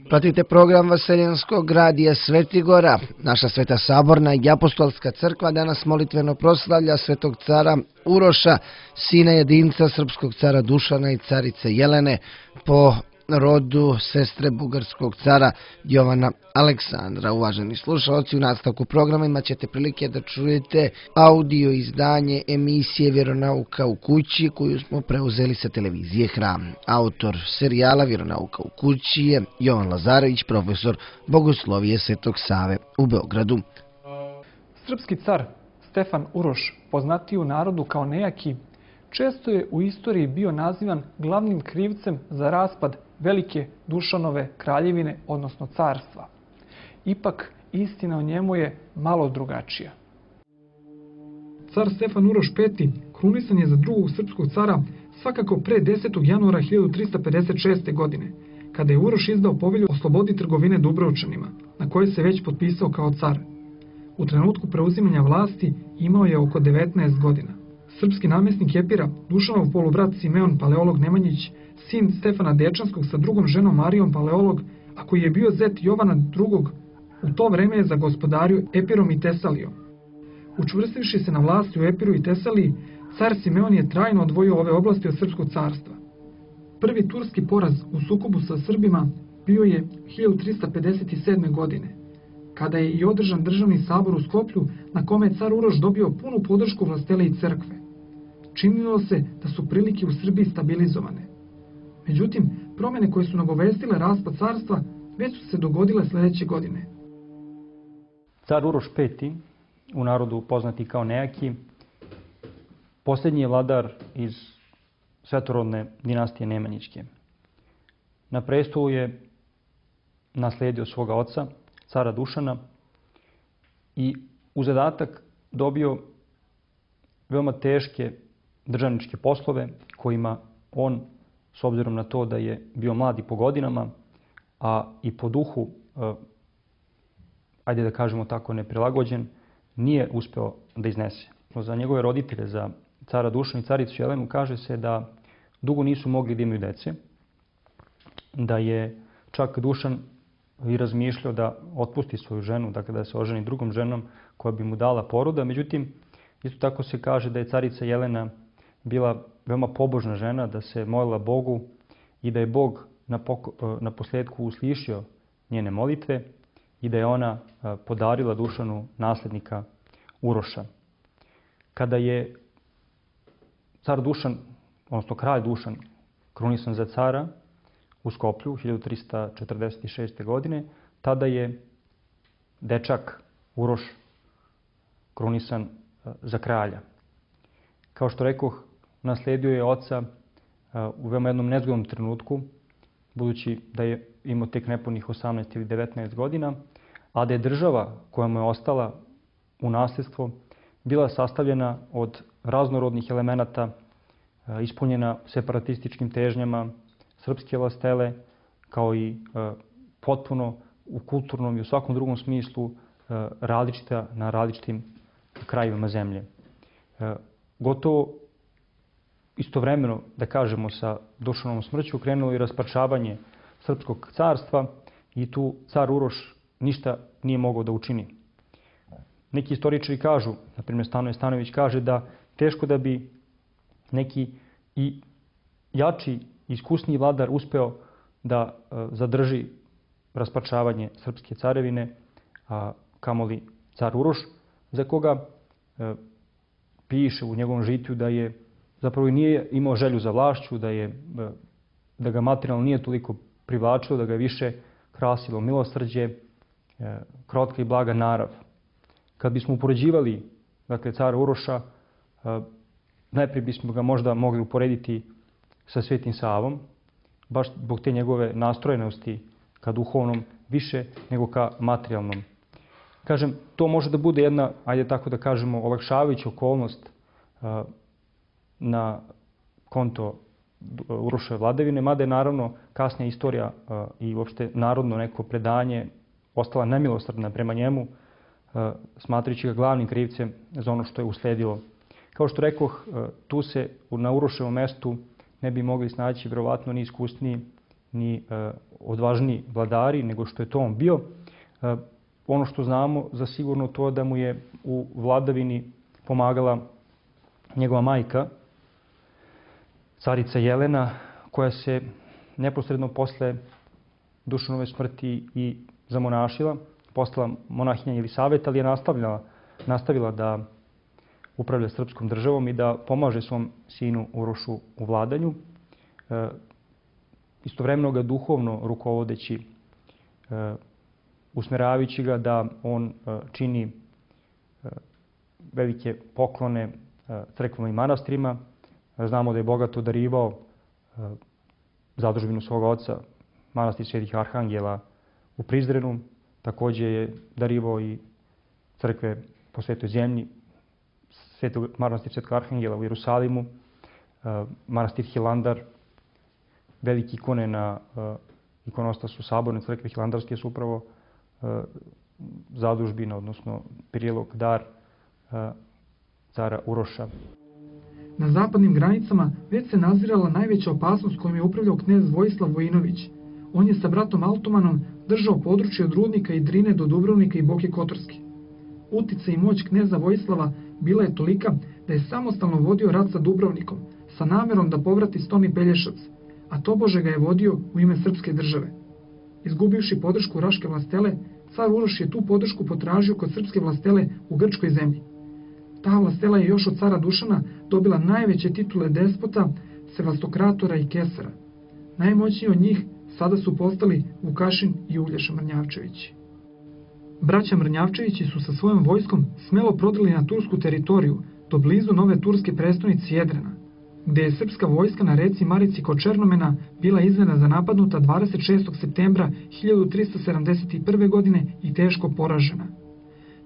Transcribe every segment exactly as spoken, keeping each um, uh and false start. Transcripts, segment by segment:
Pratite program Vaseljenskog radija Svetigora. Naša Sveta Saborna i apostolska crkva danas molitveno proslavlja svetog cara Uroša, sina jedinca srpskog cara Dušana i carice Jelene, po rodu sestre bugarskog cara Jovana Aleksandra. Uvaženi slušalci, u nastavku programa imat ćete prilike da čujete audio izdanje emisije Vjeronauka u kući koju smo preuzeli sa televizije Hram. Autor serijala Vjeronauka u kući je Jovan Lazarević, profesor Bogoslovije Svetog Save u Beogradu. Srpski car Stefan Uroš, poznatiji u narodu kao nejaki, često je u istoriji bio nazivan glavnim krivcem za raspad velike Dušanove kraljevine, odnosno carstva. Ipak, istina o njemu je malo drugačija. Car Stefan Uroš peti krunisan je za drugog srpskog cara svakako pre desetog januara hiljadu trista pedeset šeste. godine, kada je Uroš izdao povelju o slobodi trgovine Dubrovčanima, na kojoj se već potpisao kao car. U trenutku preuzimanja vlasti imao je oko devetnaest godina. Srpski namjesnik Epira, Dušanov polubrat Simeon Paleolog Nemanjić, sin Stefana Dečanskog sa drugom ženom Marijom Paleolog, a koji je bio zet Jovana drugog, u to vreme je zagospodario Epirom i Tesalijom. Učvrstivši se na vlasti u Epiru i Tesaliji, car Simeon je trajno odvojio ove oblasti od srpskog carstva. Prvi turski poraz u sukobu sa Srbima bio je hiljadu trista pedeset sedme. godine, kada je i održan državni sabor u Skoplju, na kome je car Uroš dobio punu podršku vlastele i crkve. Činilo se da su prilike u Srbiji stabilizovane. Međutim, promjene koje su nagovestile raspad carstva već su se dogodile sljedeće godine. Car Uroš peti, u narodu poznati kao nejaki, posljednji je vladar iz svetorodne dinastije Nemanjićke. Na prestolu je naslijedio svoga oca, cara Dušana, i u zadatak dobio veoma teške državničke poslove kojima on, s obzirom na to da je bio mlad i po godinama, a i po duhu, ajde da kažemo tako, neprilagođen, nije uspeo da iznese. Za njegove roditelje, za cara Dušana i caricu Jelenu, kaže se da dugo nisu mogli da imaju dece, da je čak Dušan i razmišljao da otpusti svoju ženu, dakle da se oženi drugom ženom koja bi mu dala poroda. Međutim, isto tako se kaže da je carica Jelena bila veoma pobožna žena, da se molila Bogu i da je Bog na, na posljedku uslišio njene molitve i da je ona podarila Dušanu nasljednika Uroša. Kada je car Dušan, odnosno kralj Dušan, krunisan za cara u Skoplju hiljadu trista četrdeset šeste. godine, tada je dečak Uroš krunisan za kralja. Kao što rekoh, naslijedio je oca u veoma jednom nezgodnom trenutku, budući da je imao tek nepunih osamnaest ili devetnaest godina, a da je država koja mu je ostala u nasljedstvo bila sastavljena od raznorodnih elemenata, ispunjena separatističkim težnjama srpske vlastele, kao i potpuno u kulturnom i u svakom drugom smislu različita na različitim krajevima zemlje. Gotovo istovremeno, da kažemo, sa Dušanovom smrću krenulo i rasparčavanje srpskog carstva i tu car Uroš ništa nije mogao da učini. Neki istoričari kažu, na primjer Stanoje Stanojević kaže da teško da bi neki i jači, iskusniji vladar uspeo da zadrži rasparčavanje srpske carevine, a kamoli car Uroš, za koga piše u njegovom žitiju da je zapravo nije imao želju za vlašću, da, je, da ga materijalno nije toliko privlačilo, da ga je više krasilo milosrđe, krotka i blaga narav. Kad bismo upoređivali, dakle, cara Uroša, najprije bismo ga možda mogli uporediti sa Svetim Savom, baš zbog te njegove nastrojenosti ka duhovnom više nego ka materijalnom. Kažem, to može da bude jedna, ajde tako da kažemo, olakšavajuća okolnost na konto Uroševe vladavine, mada je naravno kasnija istorija i uopšte narodno neko predanje ostala nemilosrdna prema njemu, smatrajući ga glavnim krivcem za ono što je usledilo. Kao što rekoh, tu se na Uroševom mestu ne bi mogli snaći vjerovatno ni iskusniji ni odvažniji vladari nego što je to on bio. Ono što znamo za sigurno to da mu je u vladavini pomagala njegova majka, carica Jelena, koja se neposredno posle Dušanove smrti i zamonašila, postala monahinja Jelisaveta, ali je nastavila, nastavila da upravlja srpskom državom i da pomaže svom sinu Urošu u vladanju, e, istovremeno ga duhovno rukovodeći, e, usmeravajući ga da on e, čini e, velike poklone e, crkvama i manastirima. E, znamo da je bogato darivao e, zadužbinu svog oca, manastir Svetih Arhangela u Prizrenu. Takođe je darivao i crkve po Svetoj zemlji, Svetog, manastir Svetog Arhangela u Jerusalimu, e, manastir Hilandar, velike ikone na e, ikonostasu Saborne crkve Hilandarske su upravo e, zadužbina, odnosno prilog dar e, cara Uroša. Na zapadnim granicama već se nazirala najveća opasnost kojom je upravljao knez Vojislav Vojinović. On je sa bratom Altomanom držao područje od Rudnika i Drine do Dubrovnika i Boke Kotorske. Utica i moć kneza Vojislava bila je tolika da je samostalno vodio rat sa Dubrovnikom, sa namerom da povrati Stoni Pelješac, a tobože ga je vodio u ime srpske države. Izgubivši podršku Raške vlastele, car Uroš je tu podršku potražio kod srpske vlastele u Grčkoj zemlji. Ta vlastela je još od cara Dušana dobila najveće titule despota, sevastokratora i kesara. Najmoćniji od njih sada su postali Vukašin i Uglješa Mrnjavčevići. Braća Mrnjavčevići su sa svojom vojskom smelo prodrli na tursku teritoriju do blizu nove turske prestonice Jedrena, gde je srpska vojska na reci Marici kod Černomena bila iznenada napadnuta dvadeset šestog septembra hiljadu trista sedamdeset prve. godine i teško poražena.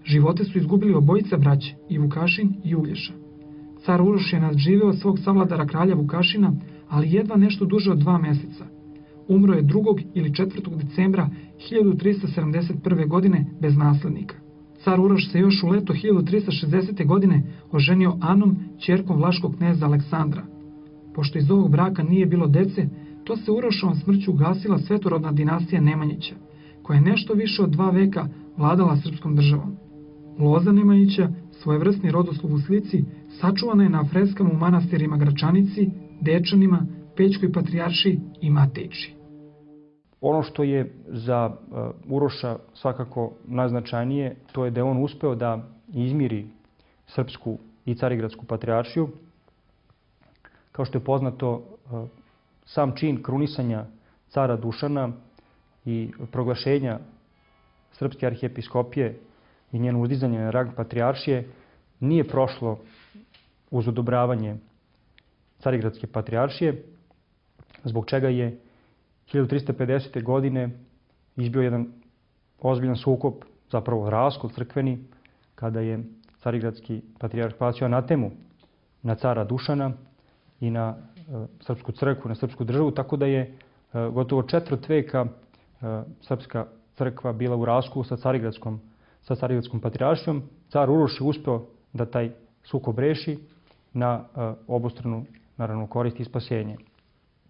Živote su izgubili obojica braće, i Vukašin i Uglješa. Car Uroš je nadživeo svog savladara kralja Vukašina, ali jedva nešto duže od dva meseca. Umro je drugog ili četvrtog decembra hiljadu trista sedamdeset prve. godine bez naslednika. Car Uroš se još u leto hiljadu trista šezdesete. godine oženio Anom, ćerkom vlaškog kneza Aleksandra. Pošto iz ovog braka nije bilo dece, to se Urošovom smrću ugasila svetorodna dinastija Nemanjića, koja je nešto više od dva veka vladala srpskom državom. Loza Nemanjića, svojevrsni rodoslov u slici, sačuvana je na freskama u manastirima Gračanici, Dečanima, Pećkoj patrijaršiji i Matejči. Ono što je za Uroša svakako najznačajnije, to je da je on uspeo da izmiri srpsku i carigradsku patrijaršiju. Kao što je poznato, sam čin krunisanja cara Dušana i proglašenja srpske arhijepiskopije i njeno uzdizanje na rang patrijaršije nije prošlo uz odobravanje carigradske patrijaršije, zbog čega je hiljadu trista pedesete. godine izbio jedan ozbiljan sukob, zapravo raskol crkveni, kada je carigradski patrijarh bacio anatemu na cara Dušana i na e, srpsku crkvu, na srpsku državu, tako da je e, gotovo četvrt veka e, srpska crkva bila u raskolu sa carigradskom, sa carigradskom patrijaršijom. Car Uroš je uspeo da taj sukob reši na e, obostranu, naravno, korist i spasenje.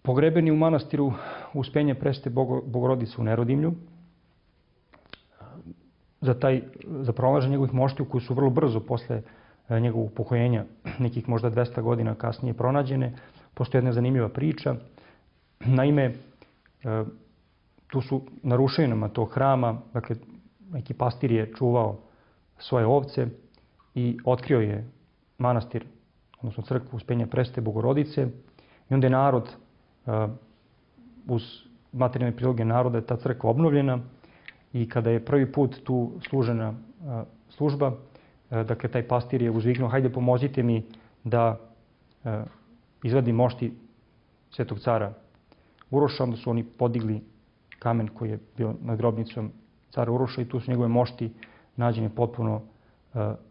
Pogreben je u manastiru Uspenja Presvete Bogorodice u Nerodimlju. Za, taj, za pronalaženje njegovih moštiju koji su vrlo brzo posle njegovog upokojenja, nekih možda dvesta godina kasnije pronađene, postoji jedna zanimljiva priča. Naime, tu su na ruševinama tog hrama, dakle, neki pastir je čuvao svoje ovce i otkrio je manastir, odnosno crkvu Uspenja Presvete Bogorodice, i onda je narod, uz materijalne priloge naroda, je ta crkva obnovljena, i kada je prvi put tu služena služba, dakle, taj pastir je uzviknuo: hajde, pomozite mi da izvadim mošti svetog cara Uroša. Onda su oni podigli kamen koji je bio nad grobnicom cara Uroša i tu su njegove mošti nađene potpuno,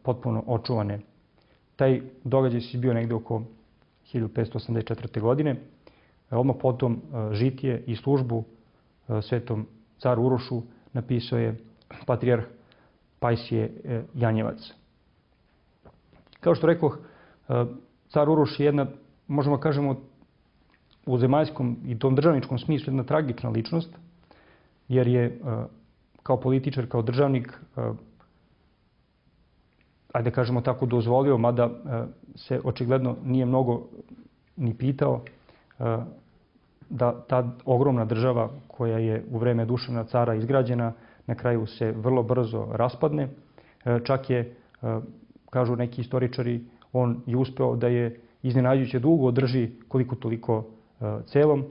potpuno očuvane. Taj događaj se bio negde oko hiljadu petsto osamdeset četvrte. godine. Odmah potom žitije i službu svetom caru Urošu napisao je patrijarh Pajsije Janjevac. Kao što rekoh, car Uroš je jedna, možemo kažemo, u zemaljskom i tom državničkom smislu jedna tragična ličnost, jer je kao političar, kao državnik, ajde kažemo tako, dozvolio, mada se očigledno nije mnogo ni pitao, da ta ogromna država koja je u vreme Dušana cara izgrađena, na kraju se vrlo brzo raspadne. Čak je, kažu neki istoričari, on je uspeo da je iznenađujuće dugo održi koliko toliko celom.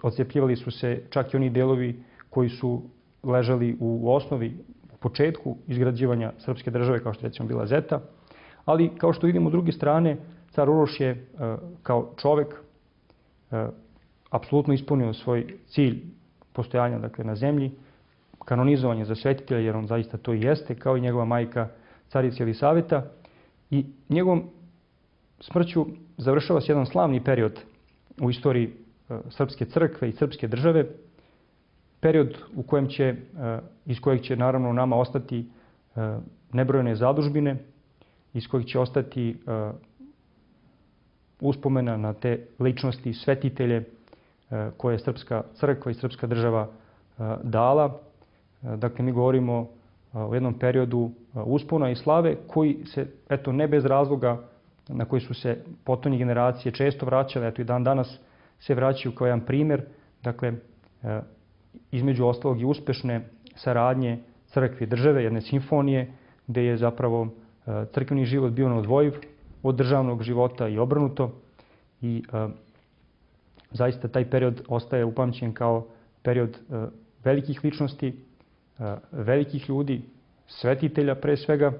Odcepljivali su se čak i oni delovi koji su ležali u osnovi, u početku izgrađivanja srpske države, kao što recimo bila Zeta. Ali, kao što vidimo s druge strane, car Uroš je kao čovek apsolutno ispunio svoj cilj postojanja, dakle, na zemlji, kanonizovanje za svetitelja, jer on zaista to i jeste, kao i njegova majka carica Jelisaveta. I njegovom smrću završava se jedan slavni period u istoriji srpske crkve i srpske države, period u kojem će, iz kojeg će naravno nama ostati nebrojene zadužbine, iz kojeg će ostati uspomena na te ličnosti, svetitelje koje je srpska crkva i srpska država dala. Dakle, mi govorimo o jednom periodu uspona i slave koji se, eto, ne bez razloga, na koji su se potonje generacije često vraćale, eto i dan danas se vraćaju kao jedan primjer, dakle, između ostalog i uspešne saradnje crkve i države, jedne simfonije, gde je zapravo crkveni život bio neodvojiv od državnog života i obrnuto. I zaista taj period ostaje upamćen kao period velikih ličnosti, velikih ljudi, svetitelja pre svega,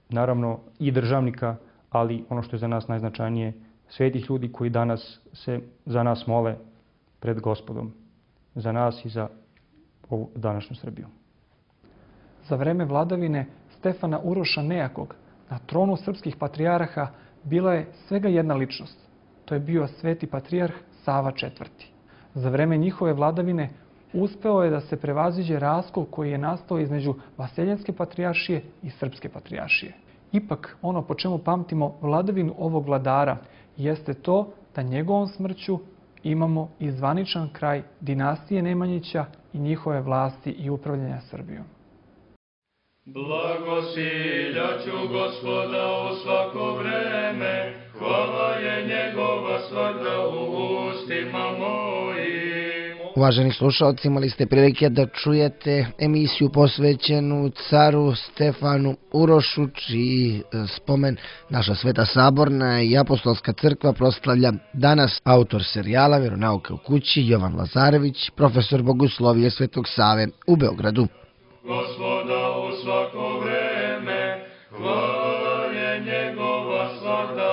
naravno i državnika, ali ono što je za nas najznačajnije, svetih ljudi koji danas se za nas mole pred Gospodom, za nas i za ovu današnju Srbiju. Za vreme vladavine Stefana Uroša Nejakog na tronu srpskih patrijarha bila je svega jedna ličnost. To je bio sveti patrijarh Sava četvrti. Za vreme njihove vladavine uspeo je da se prevaziđe raskol koji je nastao između Vaseljenske patrijaršije i Srpske patrijaršije. Ipak, ono po čemu pamtimo vladavinu ovog vladara jeste to da njegovom smrću imamo i zvaničan kraj dinastije Nemanjića i njihove vlasti i upravljanja Srbijom. Blagosiljaću Gospoda u svako vreme, hvala je njegova svakda u ustima mojim. Uvaženi slušalci, imali ste prilike da čujete emisiju posvećenu caru Stefanu Urošu, čiji spomen naša Sveta Saborna i Apostolska crkva proslavlja danas. Autor serijala Veronauka u kući Jovan Lazarević, profesor bogoslovije Svetog Save u Beogradu. Gospoda u svako vreme, hvala je njegova svakda